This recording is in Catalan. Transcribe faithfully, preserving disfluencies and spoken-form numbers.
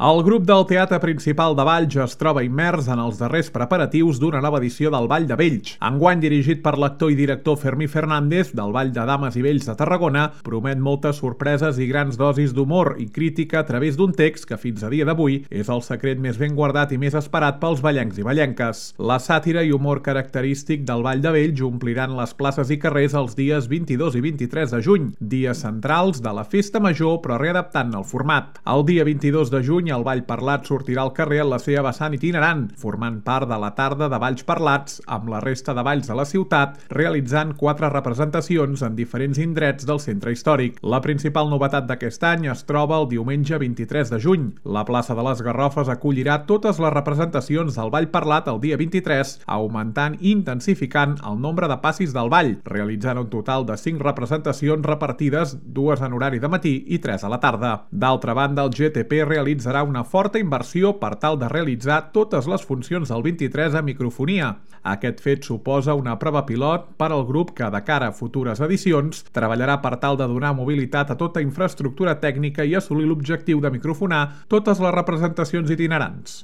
El grup del Teatre Principal de Valls es troba immers en els darrers preparatius d'una nova edició del Ball de Vells. Enguany dirigit per l'actor i director Fermí Fernández del Ball de Dames i Vells de Tarragona, promet moltes sorpreses i grans dosis d'humor i crítica a través d'un text que fins a dia d'avui és el secret més ben guardat i més esperat pels ballencs i ballenques. La sàtira i humor característic del Ball de Vells ompliran les places i carrers els dies vint-i-dos i vint-i-tres de juny, dies centrals de la Festa Major però readaptant el format. El dia vint-i-dos de juny el Ball Parlat sortirà al carrer en la seva vessant itinerant, formant part de la tarda de balls parlats amb la resta de balls de la ciutat, realitzant quatre representacions en diferents indrets del centre històric. La principal novetat d'aquest any es troba el diumenge vint-i-tres de juny. La plaça de les Garrofes acollirà totes les representacions del Ball Parlat el dia vint-i-tres, augmentant i intensificant el nombre de passis del ball, realitzant un total de cinc representacions repartides, dues en horari de matí i tres a la tarda. D'altra banda, el G T P realitzarà una forta inversió per tal de realitzar totes les funcions del vint-i-tres a microfonia. Aquest fet suposa una prova pilot per al grup que, de cara a futures edicions, treballarà per tal de donar mobilitat a tota infraestructura tècnica i assolir l'objectiu de microfonar totes les representacions itinerants.